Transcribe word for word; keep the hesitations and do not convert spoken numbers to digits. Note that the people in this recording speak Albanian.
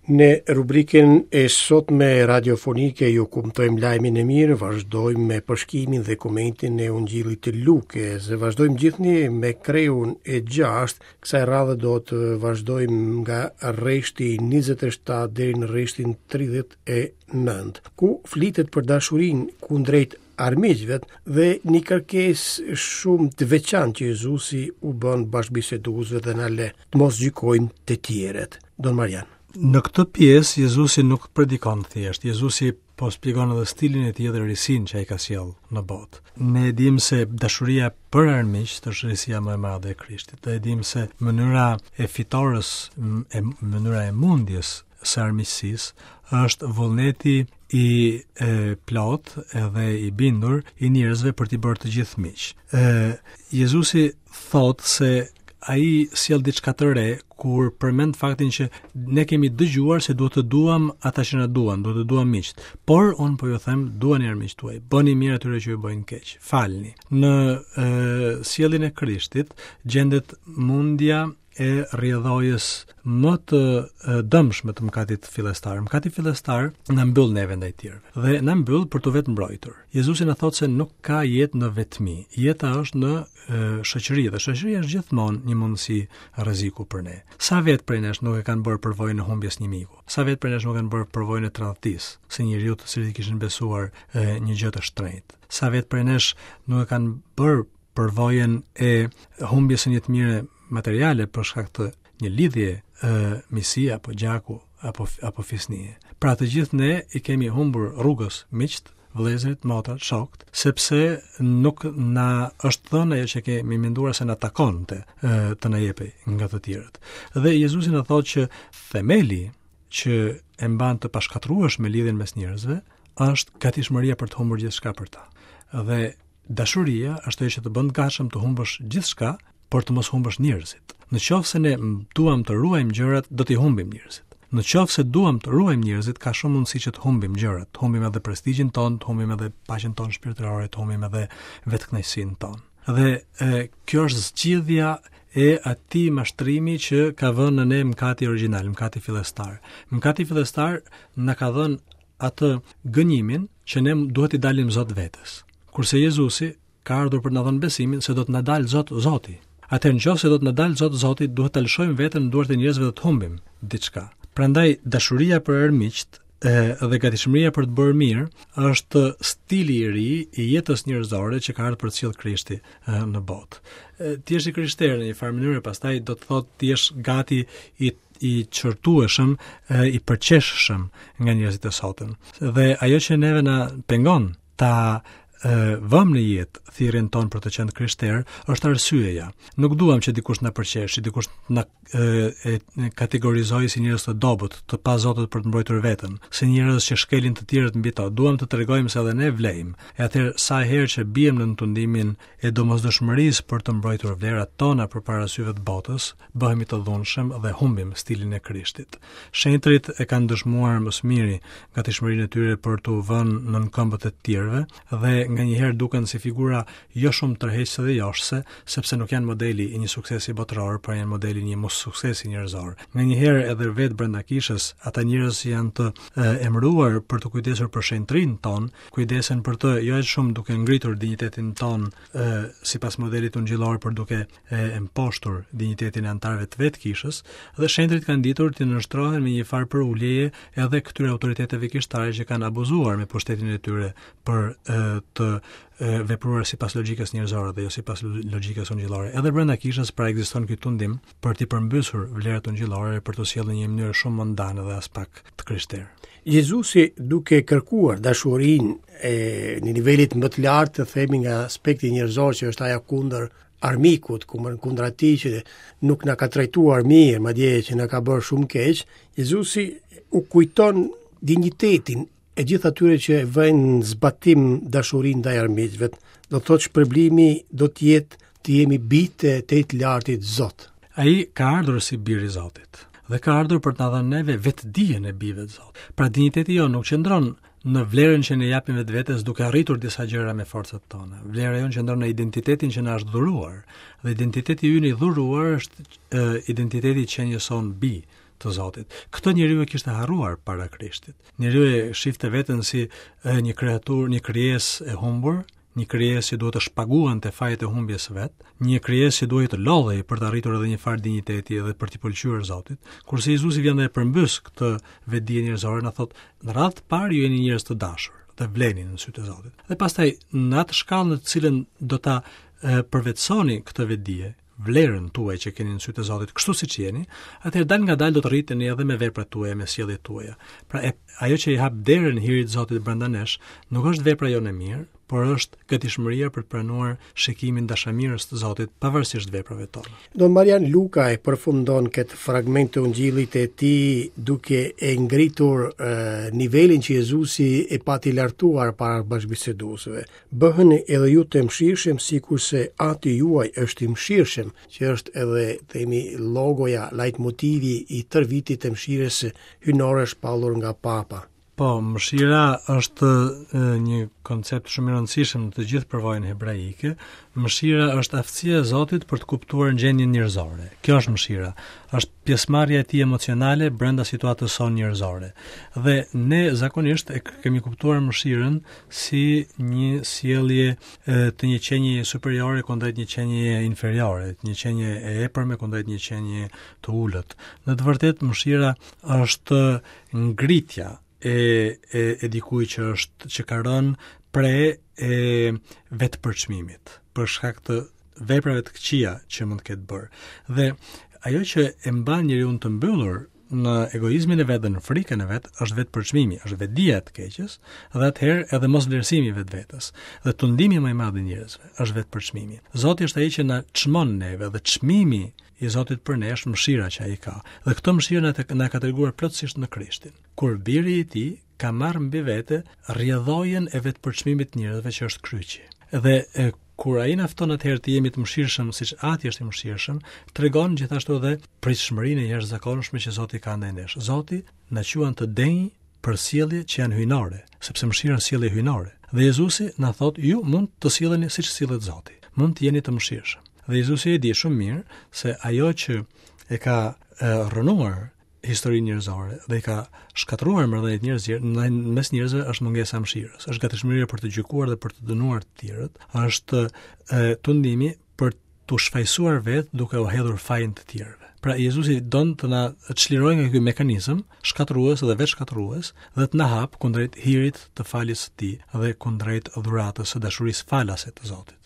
Në rubrikën e sotme radiofonike ju kumtojmë lajmin e mirë, vazhdojmë me përshkimin dhe komentin e Ungjillit të Lukës. Vazhdojmë gjithnjë me kreun e gjashtë, kësaj radhe do të vazhdojmë nga rreshti njëzet e shtatë deri në rreshtin tridhjetë e nëntë, ku flitet për dashurinë kundrejt armiqve dhe një kërkesë shumë të veçantë që Jezusi u bën bashkëbiseduesve dhe na le të mos gjykojmë të tjerët. Don Marian. Në këtë pjesë Jezusi nuk predikon thjesht, Jezusi po shpjegon edhe stilin e tij dhe risinë që ai ka sjellë në botë. Ne e dimë se dashuria për armiqt është risia më e madhe e Krishtit. Dhe e dimë se mënyra e fitores, e mënyra e mundjes së armiqësisë është vullneti i e, plot edhe i bindur i njerëzve për t'i bërë të gjithë miq. Ë Jezusi thotë se ai sjell diçka të re kur përmend faktin që ne kemi dëgjuar se duhet të duam ata që na duan, duhet të duam miqt. Por un po ju them, duani armiqt tuaj, bëni mirë atyre që ju bëjnë keq, falni. Në e, sjelljen e Krishtit gjendet mundja e rrjedhojës më të dëmshme të mëkatit fillestar. Mëkati fillestar na mbyll neve ndaj tjerëve dhe na mbyll për të vetë mbrojtur. Jezusi na thotë se nuk ka jetë në vetmi. Jeta është në e, shoqëri dhe shoqëria është gjithmonë një mundësi rreziku për ne. Sa vetë prej nesh nuk e kanë bërë përvojën e humbjes një miku? Sa vetë prej nesh nuk kanë bërë përvojën e tradhtisë, se njeriu të cilit i kishin besuar e, një gjë të shtrenjtë? Sa vetë prej nesh nuk e kanë bërë përvojën e humbjes së një të mire materiale për shkak të një lidhje e, miqësie apo gjaku apo apo fisnie. Pra të gjithë ne i kemi humbur rrugës miqt, vëllezërit, motrat, shokët, sepse nuk na është dhënë ajo që kemi menduar se na takonte e, të na jepej nga të tjerët. Dhe Jezusi na thotë që themeli që e mban të pashkatrueshme lidhjen mes njerëzve është gatishmëria për të humbur gjithçka për ta. Dhe dashuria është ajo që të bën të gatshëm të humbësh gjithçka, por të mos humbësh njerëzit. Në qoftë se ne duam të ruajmë gjërat, do t'i humbim njerëzit. Në qoftë se duam të ruajmë njerëzit, ka shumë mundësi që të humbim gjërat, të humbim edhe prestigjin ton, të humbim edhe paqen tonë shpirtërore, të humbim edhe vetëkënaqësinë tonë. Dhe e, kjo është zgjidhja e atij mashtrimi që ka vënë në ne mëkati origjinal, mëkati fillestar. Mëkati fillestar na ka dhënë atë gënjimin që ne duhet i dalim Zot vetes. Kurse Jezusi ka ardhur për të na dhënë besimin se do të na dalë Zot Zoti. Atëherë nëse do të na dalë Zot Zoti, duhet ta lëshojmë veten në duart e njerëzve dhe të humbim diçka. Prandaj dashuria për armiqt dhe gatishmëria për të bërë mirë është stili i ri i jetës njerëzore që ka ardhur për të sjellë Krishti në botë. Ti je i krishterë në një farë mënyrë, pastaj do të thotë ti jesh gati i i qërtueshëm, i përqeshshëm nga njerëzit e sotëm. Dhe ajo që neve na pengon ta vëm në jetë thirrjen tonë për të qenë krishter është arsyeja. Nuk duam që dikush na përqesh, që dikush na e, e kategorizojë si njerëz të dobët, të pazotët për të mbrojtur veten, si njerëz që shkelin të tjerët mbi to. Duam të tregojmë se edhe ne vlejmë. E atëherë sa herë që biem në tundimin e domosdoshmërisë për të mbrojtur vlerat tona përpara syve të botës, bëhemi të dhunshëm dhe humbim stilin e Krishtit. Shenjtërit e kanë dëshmuar më së miri gatishmërinë e tyre për t'u vënë nën këmbët e të tjerëve dhe nganjëherë duken si figura jo shumë tërheqëse dhe joshëse, sepse nuk janë modeli i një suksesi botëror, por janë modeli i një mos suksesi njerëzor. Nganjëherë edhe vetë brenda kishës, ata njerëz që janë të e, emëruar për të kujdesur për shenjtërinë tonë, kujdesen për të jo aq shumë duke ngritur dinjitetin tonë e, sipas modelit ungjillor, por duke e, mposhtur dinjitetin e anëtarëve të vetë kishës, dhe shenjtërit kanë ditur të nënshtrohen me një farë përuljeje edhe këtyre autoriteteve kishtare që kanë abuzuar me pushtetin e tyre për e, të e, vepruar sipas logjikës njerëzore dhe jo sipas logjikës ungjillore. Edhe brenda kishës pra ekziston ky tundim për t'i përmbysur vlerat ungjillore për të sjellë në një mënyrë shumë mondane dhe as pak të krishterë. Jezusi duke kërkuar dashurinë e një nivelit më të lartë, të themi nga aspekti njerëzor që është ajo kundër armikut, kundër atij që nuk na ka trajtuar mirë, madje që na ka bërë shumë keq, Jezusi u kujton dinjitetin e gjithë atyre që e vënë në zbatim dashurinë ndaj armiqve. Do të thotë shpërblimi do të jetë të jemi bitë të të lartit Zot. Ai ka ardhur si bir i Zotit dhe ka ardhur për të na dhënë neve vetëdijen e bijve të Zotit. Pra dinjiteti jonë nuk qëndron në vlerën që ne japim vetvetes duke arritur disa gjëra me forcat tona. Vlera jonë qëndron në identitetin që na është dhuruar, dhe identiteti ynë i dhuruar është e, identiteti i qenies sonë bi të Zotit. Këtë njeriu e kishte harruar para Krishtit. Njeriu e shifte veten si e, një kreaturë, një krijesë e humbur, një krijesë që duhet të shpaguante fajet e humbjes së vet, një krijesë që duhej të lodhej për të arritur edhe një farë dinjiteti edhe për t'i pëlqyer Zotit. Kurse Jezusi vjen dhe e përmbys këtë vetëdije njerëzore, na thotë, në radhë të parë ju jeni njerëz të dashur dhe vleni në sytë e Zotit. Dhe pastaj në atë shkallë në të cilën do ta e, përvetësoni këtë vetëdije, vlerën tuaj që keni në sytë e Zotit, kështu siç jeni, atëherë dal nga dal do të rriteni edhe me veprat tuaja, me sjelljet tuaja. Pra e, ajo që i hap derën hirit të Zotit brenda nesh, nuk është vepra jonë e mirë, por është gatishmëria për të pranuar shikimin dashamirës të Zotit pavarësisht veprave tona. Don Marian Luka e përfundon këtë fragment të Ungjillit të tij duke e ngritur e, nivelin që Jezusi e pati lartuar para bashkëbiseduesve. Bëheni edhe ju të mëshirshëm sikurse Ati juaj është i mëshirshëm, që është edhe themi logoja, leitmotivi i tërë vitit të mëshirës hyjnore shpallur nga Papa. Po, mëshira është e, një koncept shumë i rëndësishëm në të gjithë përvojën hebraike. Mëshira është aftësia e Zotit për të kuptuar gjendjen njerëzore. Kjo është mëshira. Është pjesëmarrja e tij emocionale brenda situatës sonë njerëzore. Dhe ne zakonisht e kemi kuptuar mëshirën si një sjellje e, të një qenie superiore kundrejt një qenie inferiore, një qenie e epërme kundrejt një qenie të ulët. Në të vërtetë mëshira është ngritja e e e dikujt që është që ka rënë pre e vetëpërçmimit për shkak të veprave të këqija që mund të ketë bërë. Dhe ajo që e mban njeriu të mbyllur në egoizmin e vet dhe në frikën e vet është vetëpërçmimi, është vetëdija e të keqes dhe atëherë edhe mosvlerësimi i vetvetes. Dhe tundimi më i madh i njerëzve është vetëpërçmimi. Zoti është ai që na çmon neve dhe çmimi i Zotit për ne është mëshira që ai ka. Dhe këtë mëshirë na, na ka treguar plotësisht në Krishtin. Kur biri i tij ka marrë mbi vete rrjedhojën e vetëpërçmimit të njerëzve që është kryqi. Dhe e, kur ai na fton atëherë të jemi të mëshirshëm siç Ati është i mëshirshëm, tregon gjithashtu edhe pritshmërinë e jashtëzakonshme që Zoti ka ndaj nesh. Zoti na quan të denjë për sjellje që janë hyjnore, sepse mëshira është sjellje hyjnore. Dhe Jezusi na thotë, ju mund të silleni siç sillet Zoti, mund të jeni të mëshirshëm. Dhe Jezusi e di shumë mirë se ajo që e ka e, rrënuar historinë njerëzore dhe i ka shkatërruar marrëdhëniet njerëzore mes njerëzve është mungesa e mëshirës, është gatishmëria për të gjykuar dhe për të dënuar të tjerët, është e, tundimi për të shfajësuar vetë duke u hedhur fajin të tjerëve. Pra Jezusi don të na çlirojë nga ky mekanizëm shkatërrues dhe vetë shkatërrues dhe të na hap kundrejt hirit të faljes së tij dhe kundrejt dhuratës së dashurisë falase të Zotit.